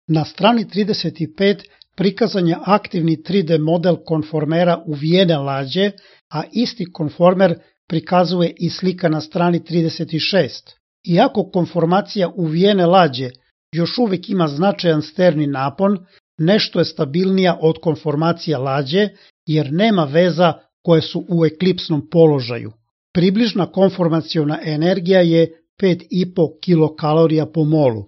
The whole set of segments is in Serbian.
Na strani 35 prikazan je aktivni 3D model konformera uvijene lađe, a isti konformer prikazuje i slika na strani 36. Iako konformacija uvijene lađe još uvijek ima značajan sterni napon, nešto je stabilnija od konformacije lađe jer nema veza koje su u eklipsnom položaju. Približna konformaciona energija je 5,5 kilokalorija po molu.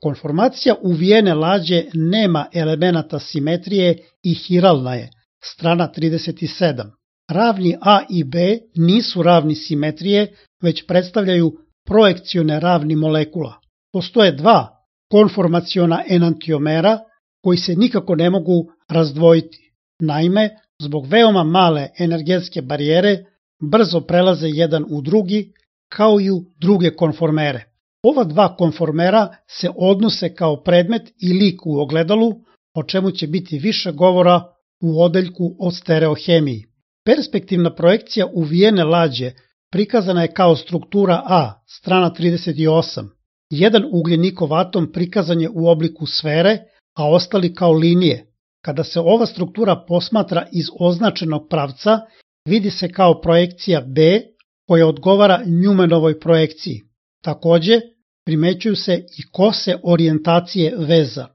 Konformacija uvijene lađe nema elemenata simetrije i hiralna je, strana 37. Ravni A i B nisu ravni simetrije, već predstavljaju projekcione ravni molekula. Postoje dva konformaciona enantiomera koji se nikako ne mogu razdvojiti. Naime, zbog veoma male energetske barijere brzo prelaze jedan u drugi, kao i u druge konformere. Ova dva konformera se odnose kao predmet i lik u ogledalu, o čemu će biti više govora u odeljku o stereohemiji. Perspektivna projekcija uvijene lađe prikazana je kao struktura A, strana 38. Jedan ugljenikov atom prikazan je u obliku sfere, a ostali kao linije. Kada se ova struktura posmatra iz označenog pravca, vidi se kao projekcija B, koja odgovara Newmanovoj projekciji. Takođe, primećuju se i kose orijentacije veza.